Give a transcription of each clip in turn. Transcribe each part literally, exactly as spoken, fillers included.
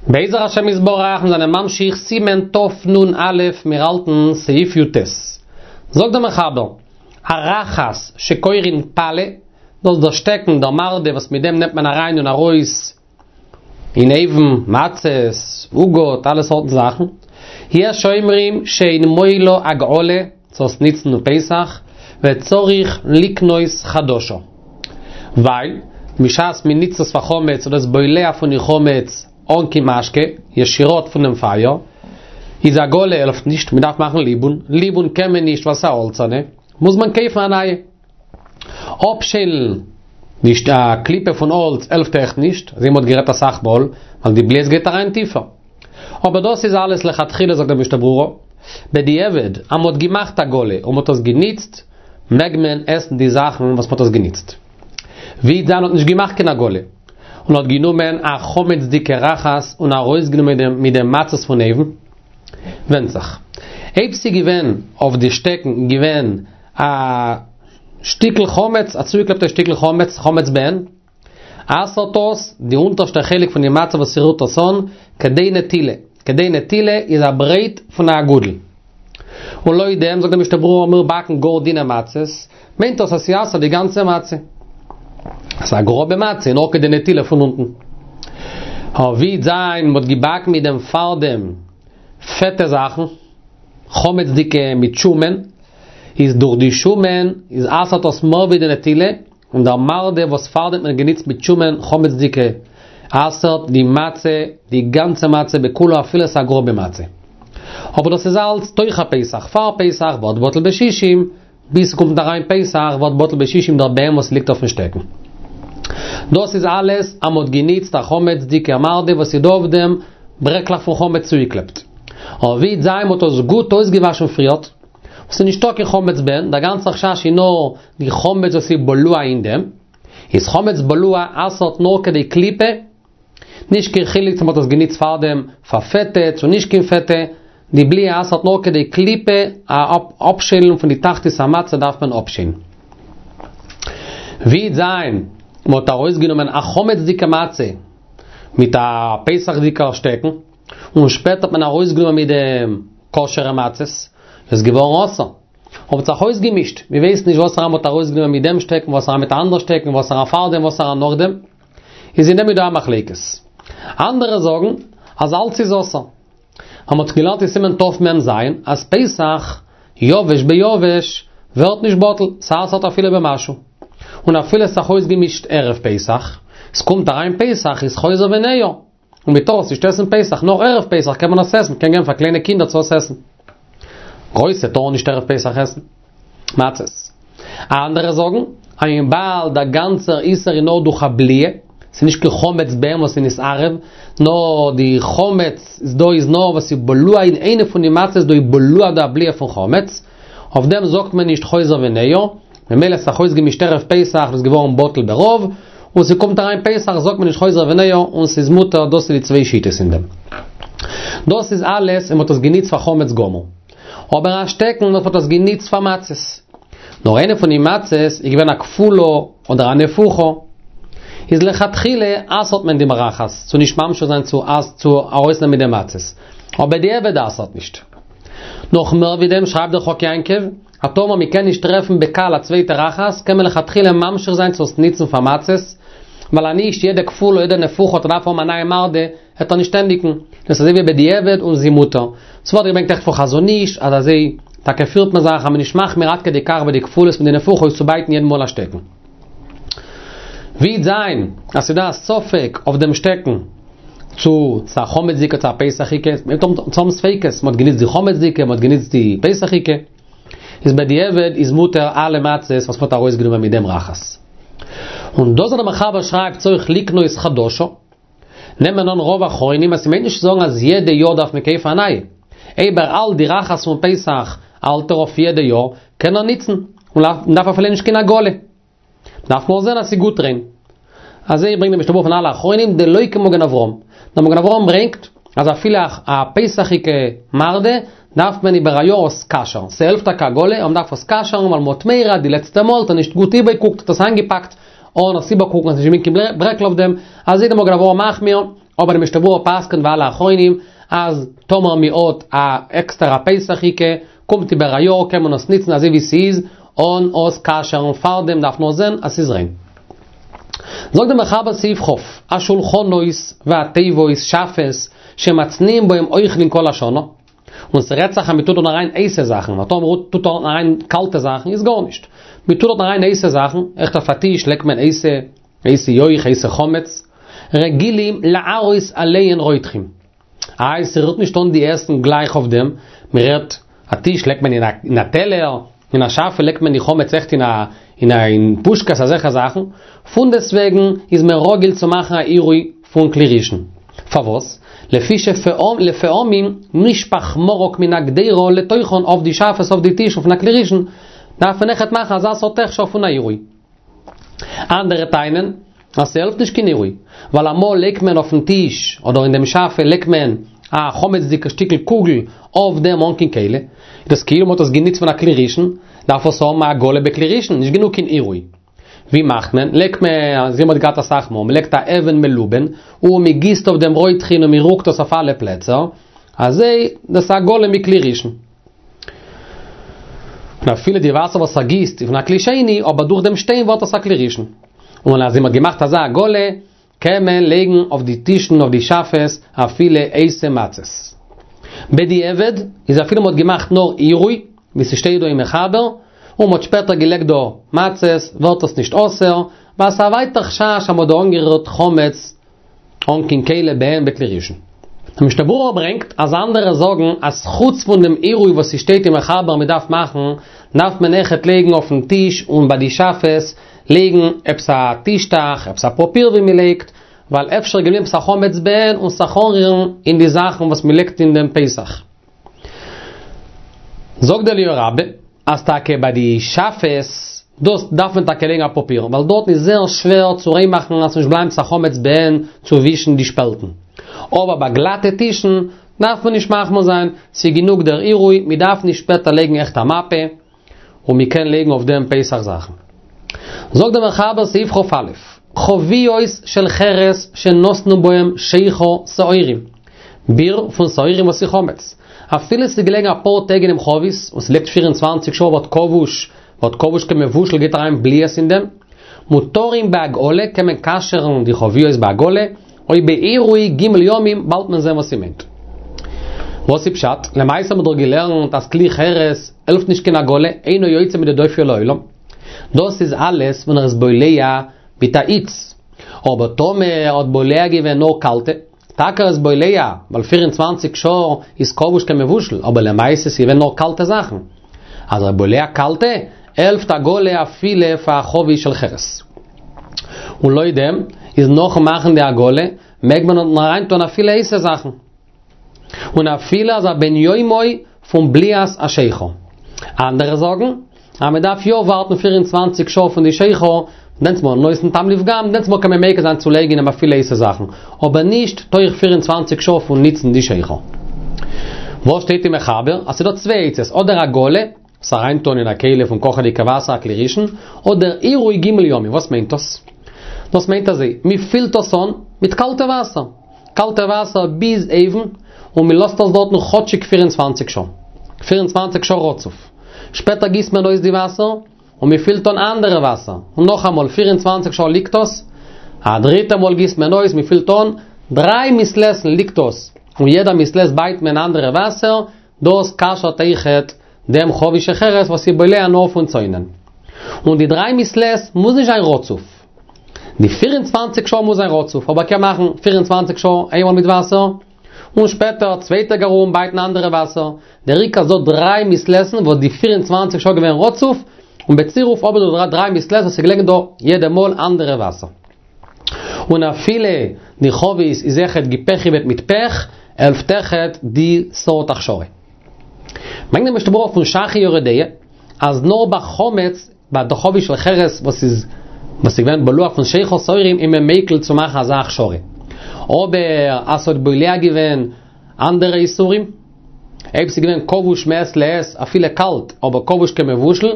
בעזר השם יתברך מיר זענען ממשיך סימן תנ"א מיר האלטן סעיף י"ט. זאגט דער מחבר, הרחת שקורין פלה, דאס איז דער שטעקן, דער מרדה וואס מיט דעם נעמט מען אריין און ארויס אין אויוון, מצות, עוגות, אלע סארטן זאכן. יש אומרים שאין מועילה הגעלה, צו עס ניצן אום פסח, וצריך לקנות חדשה. ווייל בשעת מען ניצט עס פאר חמץ איז דאס בולע פון די חמץ אן קיין משקה, ישירות פונעם פייער, איז הגעלה העלפט נישט, מען דארף מאכן ליבון, ליבון קען מען נישט ווייל ס'איז א האלצערנע, מוז מען קויפן א נייע. אפשיילן די קליפה פון האלץ העלפט אויך נישט, אזוי ווי מ'האט גערעדט אסאך מאל, ווייל די בליעות גייט אריין טיפער. אבער דאס איז אלעס לכתחילה זאגט דער משנה ברורה, בדיעבד אז מ'האט געמאכט הגעלה און מ'האט עס געניצט, מעג מען עסן די זאכן וואס מ'האט עס געניצט. ווי דען האט נישט געמאכט קיין הגעלה, און האט גענומען א חמצ'דיגע רחת און ארויסגענומען מיט דעם מצות פון אויוון. ווענדט זיך. אויב ס'איז געווען אויף די שטעקן געווען א שטיקל חמץ, א צוגעקלעפטע שטיקל חמץ, חמץ בעין, אסר'ט עס די אונטערשטע חלק פון די מצה וואס ס'רירט עס אן, כדי נטילה. כדי נטילה איז א ברייט פון א אגודל. און לויט דעם זאגט דער משנה ברורה מיר באקן גאר דינע מצות, מיינט דאס אז ס'אסר'ט די גאנצע מצה. ס'איז א גראבע מצה, נאר כדי נטילה פון אונטן. אבער ווי זיין מ'האט געבאקן מיט דעם פארדעם פעטע זאכן, חמצ'דיגע מיט שומן, איז דורך די שומן איז אסר'ט עס מער ווי די נטילה, און דער מרדה וואס פארדעם האט מען גענוצט מיט שומן חמצ'דיגע אסר'ט די מצה, די גאנצע מצה בכולו אפילו עס איז א גראבע מצה. אבער דאס איז אלץ תוך הפסח, פאר פסח ווערט בטל בשישים, ביז ס'קומט אריין פסח ווערט בטל בשישים דער בעין וואס ליגט אויפן שטעקן. דאס איז אלעס אז מ'האט גענוצט א חמצ'דיגע מרדה וואס איז דא אויף דעם ברעקלעך פון חמץ צוגעקלעפט. אבער ווי זיין מ'האט עס גוט אויסגעוואשן פריערט, און ס'איז נישטא קיין חמץ בעין, דער גאנצער חשש איז נאר די חמץ וואס איז בלוע אין דעם, איז חמץ בלוע אסר'ט נאר כדי קליפה, נישט קיין חילוק צו מ'האט עס גענוצט פארדעם פאר פעטע צו נישט קיין פעטע, די בליעה אסר'ט נאר כדי קליפה, א אפשיילן פון די תחתית המצה דארף מען אפשיילן. ווי זיין מ'האט ארויסגענומען א חמצ'דיגע מצה מיט א פסח'דיגע שטעקן, און שפעטער האט מען ארויסגענומען מיט דעם כשר'ע מצות, איז געווארן אסור. האט זיך אויסגעמישט, מען ווייסט נישט וואסערע מ'האט ארויסגענומען מיט דעם שטעקן, וואסערע מיט א אנדער שטעקן, וואסערע פארדעם, וואסערע נאכדעם. איז אין דעם איז דא א מחלוקת. אנדערע זאגן אז אלץ איז אסור. אז מ'האט געלערנט אין סימן תמ"ז אז פסח יבש ביבש ווערט נישט בטל, ס'אסר'ט אפילו במשהו. און אפילו ס'זיך אויסגעמישט ערב פסח, ס'קומט אריין פסח איז חוזר וניעור. און מען טאר עס נישט עסן פסח, נאר ערב פסח קען מען עס עסן, מען קען געבן פאר קליינע קינדער צו עס עסן. גרויסע טארן נישט ערב פסח עסן מצות. אנדערע זאגן, אז וויבאלד דער גאנצער איסור איז נאר דורך א בליעה, ס'איז נישט קיין חמץ בעין וואס איז נתערב, נאר די חמץ איז דא איז נאר וואס איז בלוע אין איינע פון די מצות דא איז בלוע די בליעה פון חמץ, אויף דעם זאגט מען נישט חוזר וניעור, ממילא ס'זיך אויסגעמישט ערב פסח איז געווארן בטל ברוב, און ס'קומט אריין פסח זאגט מען נישט חוזר וניעור און ס'איז מותר, דאס איז די צוויי שיטות אין דעם. דאס איז אלעס ווען מ'האט עס געניצט פאר חמץ גמור. אבער א שטעקן וואס מ'האט עס געניצט פאר מצות. נאר איינע פון די מצות איז געווען א כפולה אדער א נפוחה. איז לכתחילה אסר'ט מען דעם רחת צו נישט ממשיך זיין צו צו ארויסנעמען מיט די מצות. אבער בדיעבד אסר'ט נישט. נאך מער ווי דעם שרייבט דער חק יעקב, אז טאמער מען קען נישט טרעפן בקל א צווייטע רחת, קען מען לכתחילה ממשיך זיין צו עס ניצן פאר מצות, ווייל אז נישט יעדע כפולה יעדע נפוחה וועט ער דארפן האבן א נייע מרדה, וועט ער נישט ענדיגן, דאס איז אזוי ווי בדיעבד און ס'איז מותר. ס'ווערט געברענגט אויכעט פון חזון איש אז אזוי טאקע פירט מען זיך אז מען נישט מחמיר עד כדי כך ביי די כפולות מיט די נפוחות צו בייטן יעדן מאל א שטעקן. ווי זיין אז ס'דא א ספק אויף דעם שטעקן צו ס'איז א חמצ'דיגע צו א פסח'יגע, מ'הייבט אן צו האבן ספיקות, מ'האט גענוצט די חמצ'דיגע, מ'האט גענוצט די פסח'יגע, איז בדיעבד איז מותר אלע מצות וואס מ'האט ארויסגענומען מיט דעם רחת. און דאס וואס דער מחבר שרייבט צריך לקנות חדשה, נעמען אן רוב אחרונים אז ס'מיינט נישט צו זאגן אז יעדע יאר דארף מען קויפן א נייע. אויב ער האלט די רחת פון פסח האלט ער אויף יעדע יאר, קען ער ניצן, און מ'דארף אפילו נישט קיין הגעלה. דארף נאר זען אז ס'איז גוט ריין. אזוי ברענגט דער משנה ברורה פון אלע אחרונים דלא כמגן אברהם. דער מגן אברהם ברענגט אז אפילו א פסח'יגע מרדה דארף מען איבער א יאר עס כשר'ן. ס'העלפט טאקע הגעלה אבער מ'דארף עס כשר'ן ווייל מ'האט מורא די לעצטע מאל האט ער נישט גוט איבערגעקוקט האט עס איינגעפאקט אן עס איבערקוקן אז ס'נישט געווען קיין ברעקל אויף דעם. אזוי דער מגן אברהם מחמיר. אבער דער משנה ברורה פסק'נט ווי אלע אחרונים אז טאמער מ'האט א עקסטערע פסח'יגע קומט איבער א יאר קען מען עס ניצן אזוי ווי ס'איז אן עס כשר'ן פארדעם דארף נאר זען אז ס'איז ריין. זאגט דער מחבר סעיף כ', השולחנות והתיבות שאפעס שמצניעים בהם אוכלין כל השנה, און ס'רעדט זיך אז מ'טוט דארט אריין הייסע זאכן, ווייל טאמער מ'טוט דארט אריין קאלטע זאכן איז גארנישט. מ'טוט דארט אריין הייסע זאכן, עכט אויף א טיש לייגט מען הייסע, הייסע יויך, הייסע חמץ, רגילים להראות עליהן רותחין. איי, ס'רירט נישט אן די עסן גלייך אויף דעם, מ'רעדט, א טיש לייגט מען אין א טעלער, אין א שאפע לייגט מען די חמץ עכט אין א אין א אין פושקעס אזעלכע זאכן, פונדעסטוועגן איז מען רגיל צו מאכן א עירוי פון כלי ראשון. פארוואס? לפי שלפעמים נשפך מרק מן הקדירה לתוכן אויף די שאפעס אויף די טישן פון א כלי ראשון, דארף מען עכט מאכן אזא סארט הכשר פון א עירוי. אנדערע טענה'ן אז ס'העלפט נישט קיין עירוי, ווייל אמאל לייגט מען אויפן טיש אדער אין דעם שאפע לייגט מען א חמצ'דיגע שטיקל קוגל אויף דעם אן קיין כלי, איז דאס כאילו מ'האט עס גענוצט פון א כלי ראשון, דארף עס האבן א הגעלה בכלי ראשון, נישט גענוג קיין עירוי. ווי מאכט מען? לייגט מען, אזוי מ'האט געהאט אסאך מאל, מ'לייגט א אבן מלובן, און מ'גיסט אויף דעם רותחין און מ'רוקט עס אויף אלע פלעצער, אזוי דאס הגעלה מכלי ראשון. און אפילו די וואסער וואס ער גיסט איז פון א כלי שני, אבער דורך דעם שטיין ווערט עס א כלי ראשון. און אז מ'האט געמאכט אזא הגעלה, קען מען לייגן אויף די טישן אויף די שאפעס אפילו הייסע מצות. בדיעבד איז אפילו מ'האט געמאכט נאר עירוי, ווי ס'שטייט דא אין מחבר, און מ'האט שפעטער געלייגט דא מצות, ווערט עס נישט אסור, ווייל ס'איז א ווייטער חשש אז מ'האט דא אנגערירט חמץ אן קיין כלי בעין בכלי ראשון. דער משנה ברורה ברענגט אז אנדערע זאגן אז חוץ פון דעם עירוי וואס ס'שטייט אין מחבר מ'דארף מאכן, דארף מען אויכעט לייגן אויפן טיש און ביי די שאפעס לייגן עפעס א טישטעך, עפעס א פאפיר ווי מ'לייגט, ווייל אפשר געבליבן עפעס א חמץ בעין און זיך אנרירן אין די זאכן וואס מ'לייגט אין דעם פסח. זאגט דער אליהו רבה אז טאקע ביי די שאפעס דאס דארף מען טאקע לייגן א פאפיר, ווייל דארטן איז זייער שווער צו ריין מאכן אז ס'נישט בלייבן עפעס א חמץ בעין צו ווישן די שפעלטן. אבער ביי גלאטע טישן דארף מען נישט מחמיר זיין, ס'איז גענוג דער עירוי, מ'דארף נישט שפעטער לייגן עכט א מפה, און מ'קען לייגן אויף דעם פסח זאכן. זאגט דער מחבר סעיף כ"א, חביות של חרס שנתנו בהם שכר שעורים, ביר פון שעורים וואס איז חמץ, אפילו ס'איז געלעגן אפאר טעג אינעם חבית, און ס'ליגט פֿיר און צוואַנציק שעה ווערט כבוש, ווערט כבוש כמבושל גייט אריין בליעות אין דעם, מותרים בהגעלה קען מען כשר'ן די חביות בהגעלה, או בעירוי ג' ימים באלד מען זען וואס ס'מיינט. וואס איז פשט? למעשה האט מען דאך געלערנט אז כלי חרס העלפט נישט קיין הגעלה, אינו יוצא מידי דופיו לעולם. דאס איז אלעס ווען ער איז בולע מיט א היץ. אבער טאמער ער האט בולע געווען נאר קאלטע, טאקע ער איז בולע, ווייל פֿיר און צוואַנציק שעה איז כבוש כמבושל, אבער למעשה איז געווען נאר קאלטע זאכן. אז ער איז בולע קאלטע, העלפט הגעלה אפילו פאר א חבית של חרס. און לויט דעם, איז נאכן מאכן די הגעלה, מעג מען דארטן אריינטון אפילו הייסע זאכן. און אפילו אז א בן יומו פון בליעת השכר. אנדערע זאגן, אז מען דארף יא ווארטן פֿיר און צוואַנציק שעה פון די שכר, דענסטמאל נותן טעם לפגם, דענסטמאל קען מען מיקל זיין צו לייגן אים אפילו הייסע זאכן, אבער נישט תוך פֿיר און צוואַנציק שעה פון ניצן די שכר. וואס שטייט אין מחבר? אז ס'דא צוויי עצות, אדער הגעלה, עס אריינטון אין א כלי פון קאכעדיגע וואסער א כלי ראשון, אדער עירוי ג' ימים, וואס מיינט דאס? דאס מיינט אזוי, מען פילט עס אן מיט קאלטע וואסער, קאלטע וואסער ביז אויבן, און מען לאזט עס דארטן כאטשיג פֿיר און צוואַנציק שעה, פֿיר און צוואַנציק שעה רצוף. שפעטער גיסט מען אויס די וואסער, און מען פילט אן אנדערע וואסער, און נאכאמאל פֿיר און צוואַנציק שעה ליגט עס, א דריטע מאל גיסט מען אויס, מען פילט אן, דריי מעת לעת'ן ליגט עס, און יעדע מעת לעת בייט מען אנדערע וואסער, דאס כשר'ט אויכעט דעם חבית של חרס וואס איז בולע נאר פון צונן. און די דריי מעת לעת מוז נישט זיין רצוף. די פֿיר און צוואַנציק שעה מוז זיין רצוף, אבער קען מאכן פֿיר און צוואַנציק שעה איינמאל מיט וואסער, און שפעטער צוויי טעג ארום בייטן אנדערע וואסער. דער עיקר איז דא דריי מעת לעת'ן וואס די פֿיר און צוואַנציק שעה געווען רצוף, און בצירוף האב איך דא דריי מעת לעת וואס איז געלעגן דא יעדע מאל אנדערע וואסער. און אפילו די חבית איז אויכעט געפעכיוועט מיט פעך, העלפט אויכעט די סארט הכשרה. ברענגט דער משנה ברורה פון ש"ך אין יורה דעה, אז נאר ביי חמץ, ביי די חבית של חרס וואס איז וואס איז געווען בלוע פון שכר שעורים איז מען מיקל צו מאכן אזא הכשרה. אבער אז ס'האט בולע געווען אנדערע איסורים, אויב ס'איז געווען כבוש מעת לעת אפילו קאלט אבער כבוש כמבושל,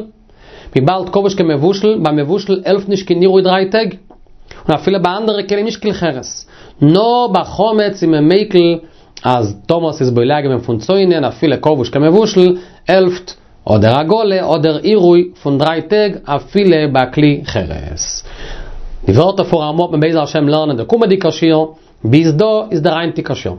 וויבאלד כבוש כמבושל, ביי מבושל העלפט נישט קיין עירוי דריי טעג, און אפילו ביי אנדערע כלים נישט כלי חרס. נאר ביי חמץ איז מען מיקל אז טאמער ס'איז בולע געווען פון צונן אפילו כבוש כמבושל, העלפט אדער הגעלה אדער עירוי פון דריי טעג אפילו ביי כלי חרס. די ווערטער פון רמ"א וועט מען בעזר השם לערנען דער קומענדיגער שיעור, ביז דא איז דער היינטיגער שיעור.